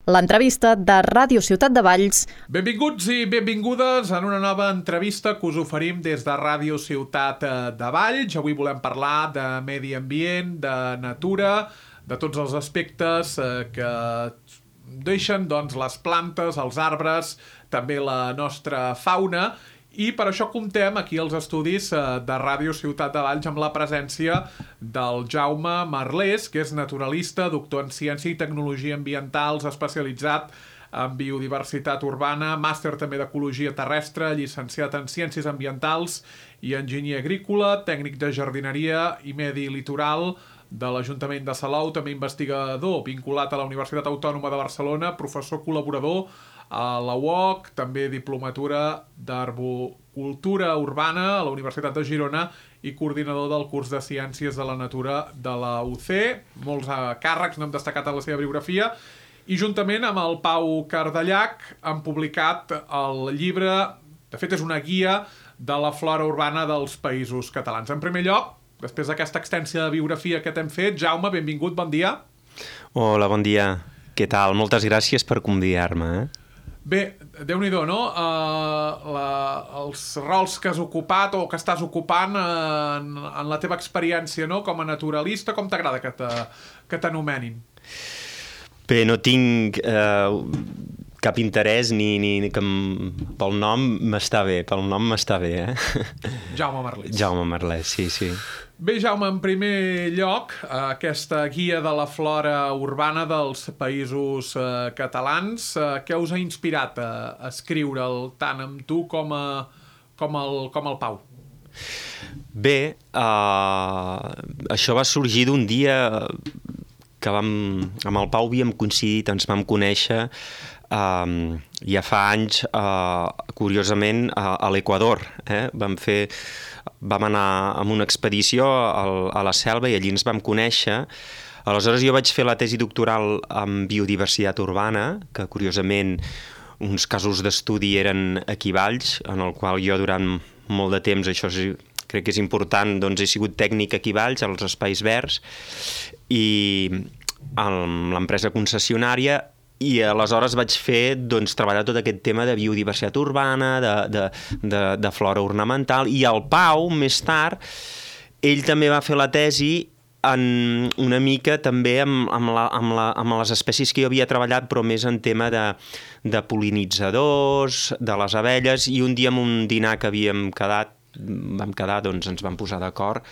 l'entrevista de Ràdio Ciutat de Valls. Benvinguts i benvingudes en una nova entrevista que us oferim des de Ràdio Ciutat de Valls. Avui volem parlar de medi ambient, de natura, de tots els aspectes que deixen les plantes, els arbres, també la nostra fauna. I per això comptem aquí als estudis de Ràdio Ciutat de Valls amb la presència del Jaume Marlés, que és naturalista, doctor en Ciència i Tecnologia Ambientals, especialitzat en biodiversitat urbana, màster també d'Ecologia Terrestre, llicenciat en Ciències Ambientals i Enginyer Agrícola, tècnic de jardineria i medi litoral de l'Ajuntament de Salou, també investigador vinculat a la Universitat Autònoma de Barcelona, professor col·laborador a la UOC, també diplomatura d'Arboricultura Urbana a la Universitat de Girona i coordinador del curs de Ciències de la Natura de la UC. Molts càrrecs no hem destacat en la seva biografia. I juntament amb el Pau Cardellac han publicat el llibre, de fet és una guia de la flora urbana dels Països Catalans. En primer lloc, després d'aquesta extensa biografia que t'hem fet, Jaume, benvingut, bon dia. Hola, bon dia. Què tal? Moltes gràcies per convidar-me. Bé, Déu-n'hi-do, no? Els rols que has ocupat o que estàs ocupant en la teva experiència, no? Com a naturalista, com t'agrada que t'anomenin? Bé, no tinc cap interès ni que pel nom m'està bé, Jaume Marlés. Jaume Marlés, sí. Bé, Jaume, en primer lloc, aquesta guia de la flora urbana dels Països Catalans, què us ha inspirat a escriure'l tant amb tu com el Pau? Bé, això va sorgir d'un dia que amb el Pau havíem coincidit, ens vam conèixer ja fa anys, curiosament, a l'Equador. Vam anar amb una expedició a la selva i allí ens vam conèixer. Aleshores jo vaig fer la tesi doctoral en biodiversitat urbana, que curiosament uns casos d'estudi eren aquí a Valls, en el qual jo durant molt de temps, això crec que és important, doncs he sigut tècnic aquí a Valls, als espais verds, i amb l'empresa concessionària, i aleshores vaig fer treballar tot aquest tema de biodiversitat urbana, de flora ornamental, i el Pau, més tard, ell també va fer la tesi una mica també amb les espècies que jo havia treballat, però més en tema de pol·linitzadors, de les abelles, i un dia en un dinar que vam quedar, ens vam posar d'acord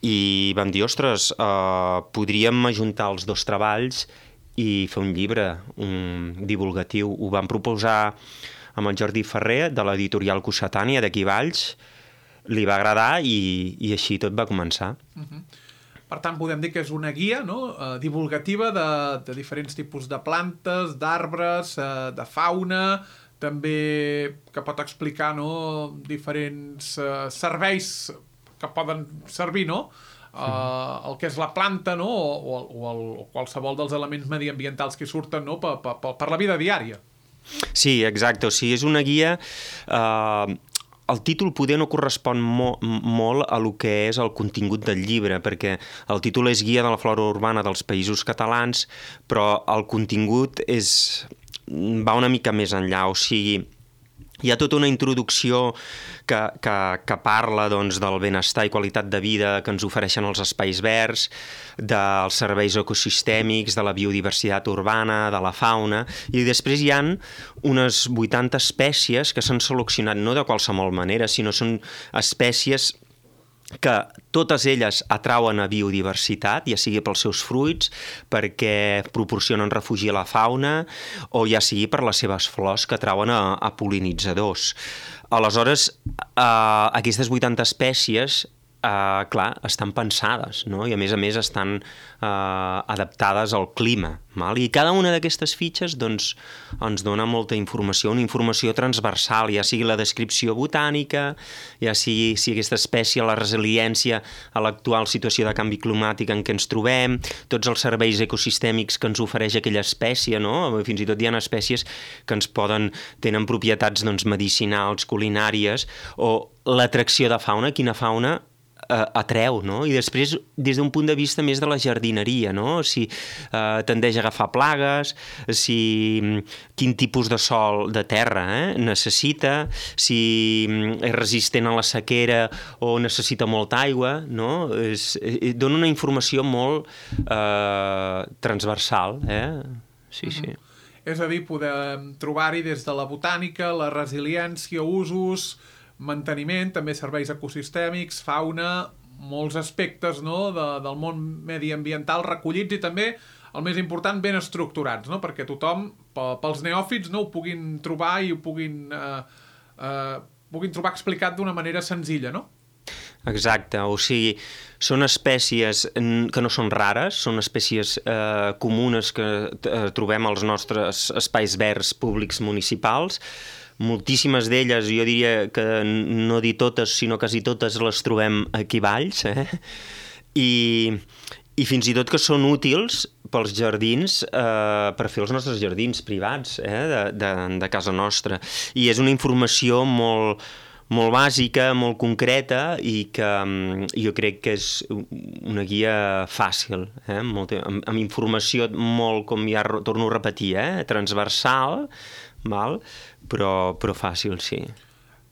i vam dir, ostres, podríem ajuntar els dos treballs i fer un llibre divulgatiu. Ho vam proposar amb el Jordi Ferrer, de l'editorial Cossetània, d'aquí Valls, li va agradar i així tot va començar. Per tant, podem dir que és una guia, no? Divulgativa de diferents tipus de plantes, d'arbres, de fauna, també que pot explicar, no?, diferents serveis que poden servir, no?, el que és la planta, no?, o qualsevol dels elements mediambientals que surten, no?, per la vida diària. Sí, exacte. O sigui, és una guia... El títol poder no correspon molt a lo que és el contingut del llibre, perquè el títol és Guia de la flora urbana dels Països Catalans, però el contingut va una mica més enllà. O sigui, hi ha tota una introducció que parla del benestar i qualitat de vida que ens ofereixen els espais verds, dels serveis ecosistèmics, de la biodiversitat urbana, de la fauna, i després hi ha unes 80 espècies que s'han seleccionat no de qualsevol manera, sinó són espècies que totes elles atrauen a biodiversitat, ja sigui pels seus fruits, perquè proporcionen refugi a la fauna, o ja sigui per les seves flors que atrauen a pol·linitzadors. Aleshores, aquestes 80 espècies, clar, estan pensades, no? I a més estan adaptades al clima. I cada una d'aquestes fitxes ens dona molta informació, una informació transversal, ja sigui la descripció botànica, ja sigui aquesta espècie, la resiliència a l'actual situació de canvi climàtic en què ens trobem, tots els serveis ecosistèmics que ens ofereix aquella espècie, no? Fins i tot hi ha espècies que tenen propietats medicinals, culinàries, o l'atracció de fauna, quina fauna atreu, no? I després, des d'un punt de vista més de la jardineria, no? Si tendeix a agafar plagues, quin tipus de sòl de terra necessita, si és resistent a la sequera o necessita molta aigua, no? Dona una informació molt transversal, Sí, sí. És a dir, podem trobar-hi des de la botànica, la resiliència, usos, manteniment, també serveis ecosistèmics, fauna, molts aspectes, no?, del món mediambiental recollits i també, el més important, ben estructurats, no?, perquè tothom, pels neòfits, no, ho puguin trobar i ho puguin trobar explicat d'una manera senzilla, no? Exacte, o sigui, són espècies que no són rares, són espècies comunes que trobem als nostres espais verds públics municipals. Moltíssimes d'elles, jo diria que no dir totes, sinó quasi totes les trobem aquí Valls, i fins i tot que són útils pels jardins, per fer els nostres jardins privats de casa nostra. I és una informació molt bàsica, molt concreta i que jo crec que és una guia fàcil, amb informació molt, com ja torno a repetir, transversal, però fàcil, sí.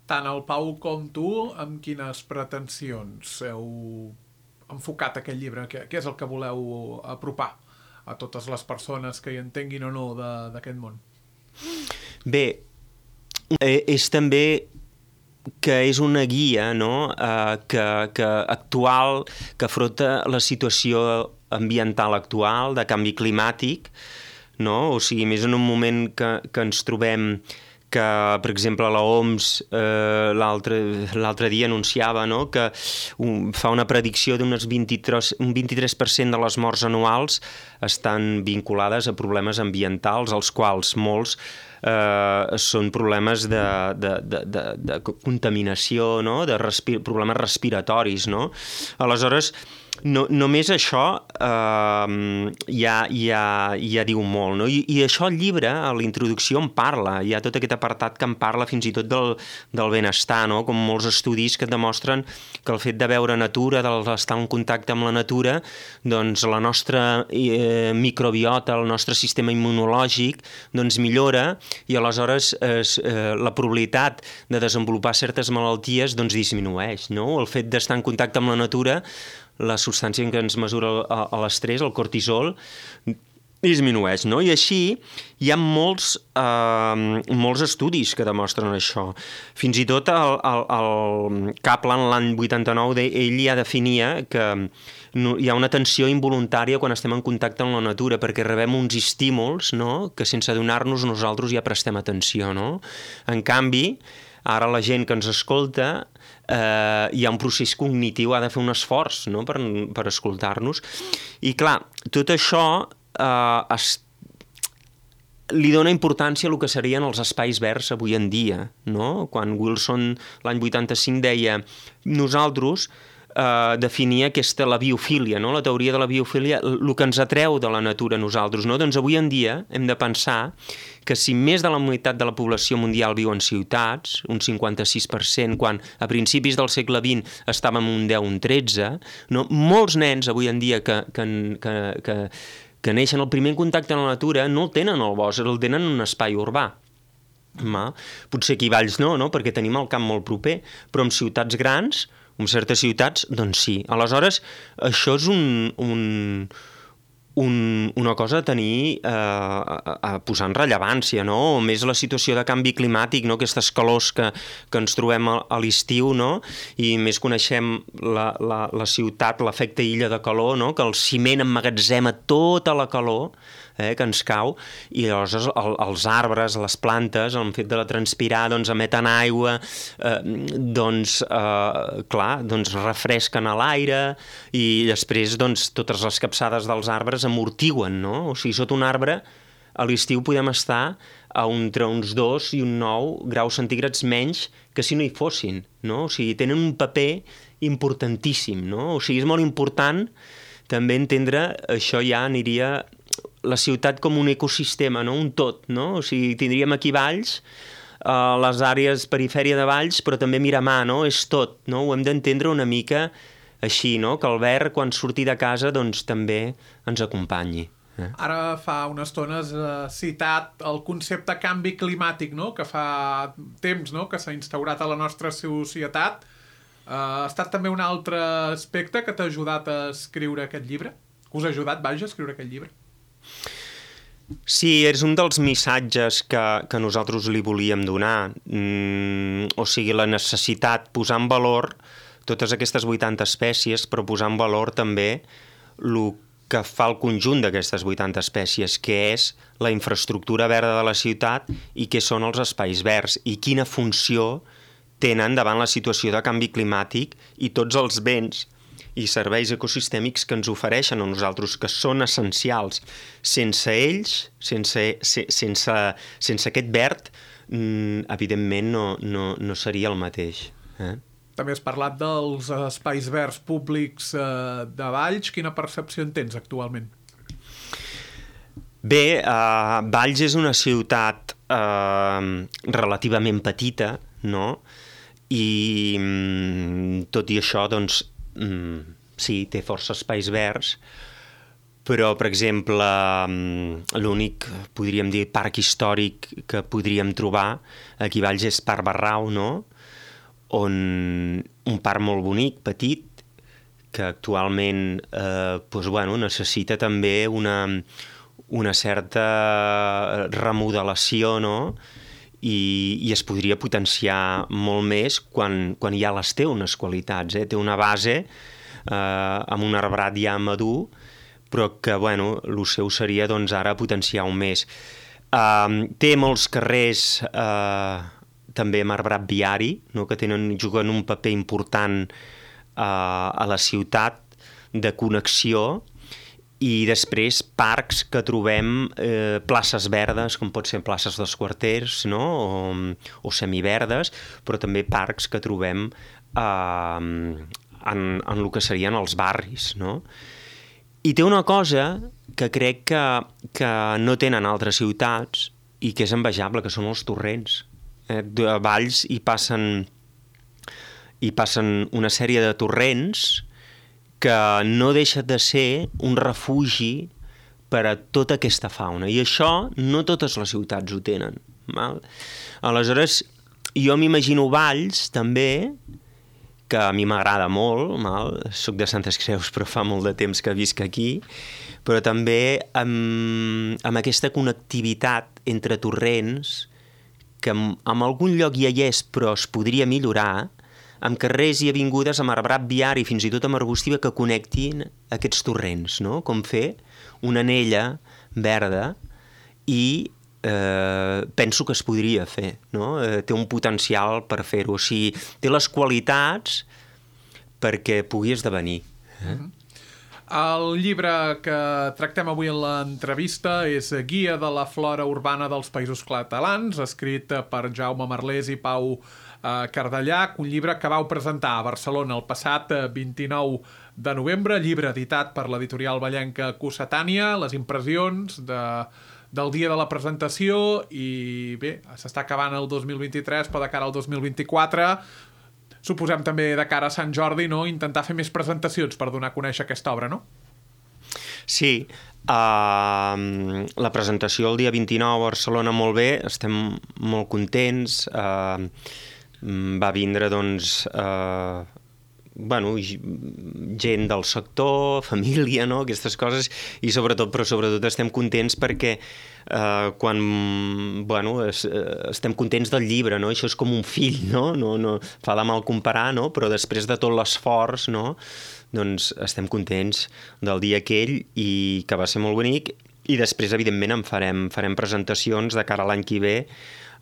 Tant el Pau com tu, amb quines pretensions heu enfocat aquest llibre? Què és el que voleu apropar a totes les persones que hi entenguin o no d'aquest món? Bé, és també que és una guia, no?, que actual, que afronta la situació ambiental actual, de canvi climàtic, no? O sigui, més en un moment que ens trobem que, per exemple, l'OMS l'altre dia anunciava, no?, que fa una predicció d'un 23% de les morts anuals estan vinculades a problemes ambientals, als quals molts són problemes de contaminació, no?, de problemes respiratoris, no? Aleshores, només això ja diu molt, no? I això el llibre, a la introducció, en parla. Hi ha tot aquest apartat que en parla fins i tot del benestar, no? Com molts estudis que demostren que el fet de veure natura, d'estar en contacte amb la natura, doncs la nostra microbiota, el nostre sistema immunològic, doncs millora i aleshores la probabilitat de desenvolupar certes malalties doncs disminueix, no? El fet d'estar en contacte amb la natura, la substància que ens mesura l'estrès, el cortisol, disminueix, no? I així hi ha molts estudis que demostren això. Fins i tot el Kaplan, l'any 89, ell ja definia que hi ha una tensió involuntària quan estem en contacte amb la natura, perquè rebem uns estímuls, no?, que sense adonar-nos nosaltres ja prestem atenció, no? En canvi, ara la gent que ens escolta hi ha un procés cognitiu, ha de fer un esforç, no?, per escoltar-nos. I clar, tot això li dona importància a el que serien els espais verds avui en dia, no? Quan Wilson l'any 85 deia nosaltres definia la biofília, no? La teoria de la biofília, el que ens atreu de la natura a nosaltres, no? Doncs avui en dia hem de pensar que si més de la meitat de la població mundial viu en ciutats, un 56%, quan a principis del segle XX estàvem un 10, un 13%, no? Molts nens avui en dia que neixen el primer contacte amb la natura no el tenen al bosc, el tenen en un espai urbà. Potser aquí a Valls no, perquè tenim el camp molt proper, però en ciutats grans, en certes ciutats, doncs sí. Aleshores, això és una cosa a tenir, a posar en rellevància, no? O més la situació de canvi climàtic, no? Aquestes calors que ens trobem a l'estiu, no? I més coneixem la ciutat, l'efecte illa de calor, no? Que el ciment emmagatzema tota la calor que ens cau, i llavors els arbres, les plantes, el fet de la transpirar, doncs emeten aigua, doncs refresquen a l'aire, i després doncs totes les capçades dels arbres amortiguen, no? O sigui, sota un arbre a l'estiu podem estar entre uns 2 i un 9 graus centígrads menys que si no hi fossin, no? O sigui, tenen un paper importantíssim, no? O sigui, és molt important també entendre, això ja aniria la ciutat com un ecosistema, no? Un tot, no? O sigui, tindríem aquí Valls, les àrees perifèria de Valls, però també Miramar, no? És tot, no? Ho hem d'entendre una mica així, no? Que el verd, quan surti de casa, doncs també ens acompanyi. Ara fa una estona has citat el concepte canvi climàtic, no? Que fa temps, no? Que s'ha instaurat a la nostra societat. Ha estat també un altre aspecte que t'ha ajudat a escriure aquest llibre? Que us ha ajudat, vaja, a escriure aquest llibre? Sí, és un dels missatges que nosaltres li volíem donar. O sigui, la necessitat, posar en valor totes aquestes 80 espècies, però posar en valor també el que fa el conjunt d'aquestes 80 espècies, que és la infraestructura verda de la ciutat i què són els espais verds i quina funció tenen davant la situació de canvi climàtic i tots els béns i serveis ecosistèmics que ens ofereixen a nosaltres, que són essencials. Sense ells, sense aquest verd, evidentment no seria el mateix. També has parlat dels espais verds públics de Valls. Quina percepció en tens actualment? Bé, Valls és una ciutat relativament petita, no? I tot i això, doncs, sí, té força espais verds, però, per exemple, l'únic, podríem dir, parc històric que podríem trobar aquí a Valls és Parc Barrau, no? Un parc molt bonic, petit, que actualment necessita també una certa remodelació, no? I es podria potenciar molt més quan ja les té unes qualitats. Té una base amb un arbrat ja madur, però que el seu seria doncs, ara potenciar-ho més. Té molts carrers també amb arbrat viari, no? Que juguen un paper important a la ciutat de connexió, i després parcs que trobem, places verdes, com pot ser places dels quarters, no? o semiverdes, però també parcs que trobem en el que serien els barris. No? I té una cosa que crec que no tenen altres ciutats i que és envejable, que són els torrents. A Valls hi passen una sèrie de torrents que no deixa de ser un refugi per a tota aquesta fauna. I això no totes les ciutats ho tenen. Val? Aleshores, jo m'imagino Valls també, que a mi m'agrada molt, soc de Santes Creus però fa molt de temps que visc aquí, però també amb aquesta connectivitat entre torrents que en algun lloc ja hi és però es podria millorar, amb carrers i avingudes, amb arbrat viari, fins i tot amb arbustiva, que connectin aquests torrents, no? Com fer una anella verda i penso que es podria fer, no? Té un potencial per fer-ho, o sigui, té les qualitats perquè pugui esdevenir. El llibre que tractem avui en l'entrevista és Guia de la flora urbana dels Països Catalans, escrit per Jaume Marlés i Pau Cardellach, un llibre que vau presentar a Barcelona el passat 29 de novembre, llibre editat per l'editorial vallenca Cossetània, les impressions del dia de la presentació, i bé, s'està acabant el 2023, però de cara al 2024 suposem també de cara a Sant Jordi, no? Intentar fer més presentacions per donar a conèixer aquesta obra, no? Sí, la presentació el dia 29 a Barcelona molt bé, estem molt contents, va vindre doncs gent del sector, família, no? Aquestes coses, i sobretot estem contents perquè estem contents del llibre, no? Això és com un fill, no fa de mal comparar, no? Però després de tot l'esforç, no? Doncs estem contents del dia aquell, i que va ser molt bonic, i després evidentment en farem presentacions de cara a l'any que ve.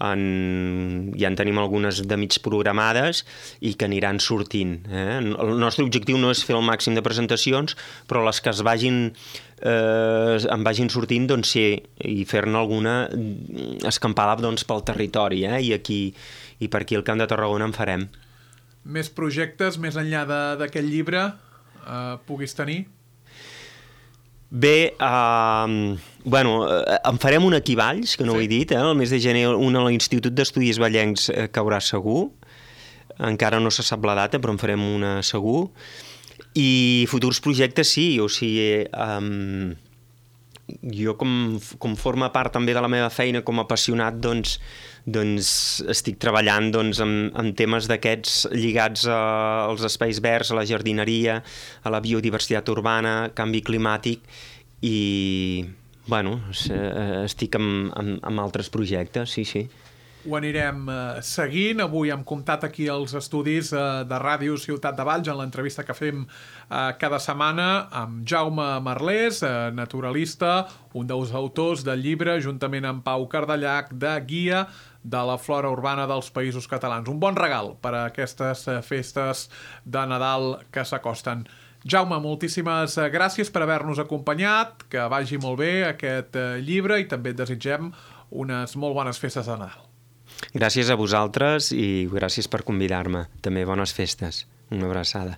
Ja en tenim algunes de mig programades i que aniran sortint. El nostre objectiu no és fer el màxim de presentacions, però les que em vagin sortint, doncs sí, i fer-ne alguna escampada doncs, pel territori, i per aquí al Camp de Tarragona en farem. Més projectes, més enllà d'aquest llibre, puguis tenir? Bé, en farem un aquí a Valls, que no ho he dit, el mes de gener un a l'Institut d'Estudis Vallencs caurà segur, encara no se sap la data, però en farem una segur, I futurs projectes sí, o sigui, jo com forma part també de la meva feina com a apassionat, doncs estic treballant en temes d'aquests lligats als espais verds, a la jardineria, a la biodiversitat urbana, canvi climàtic i, bueno, estic amb altres projectes, sí. Ho anirem seguint. Avui hem comptat aquí els estudis de Ràdio Ciutat de Valls en l'entrevista que fem cada setmana amb Jaume Marlès, naturalista, un dels autors del llibre, juntament amb Pau Cardellach, de Guia de la flora urbana dels Països Catalans. Un bon regal per a aquestes festes de Nadal que s'acosten. Jaume, moltíssimes gràcies per haver-nos acompanyat, que vagi molt bé aquest llibre i també et desitgem unes molt bones festes de Nadal. Gràcies a vosaltres i gràcies per convidar-me. També bones festes. Una abraçada.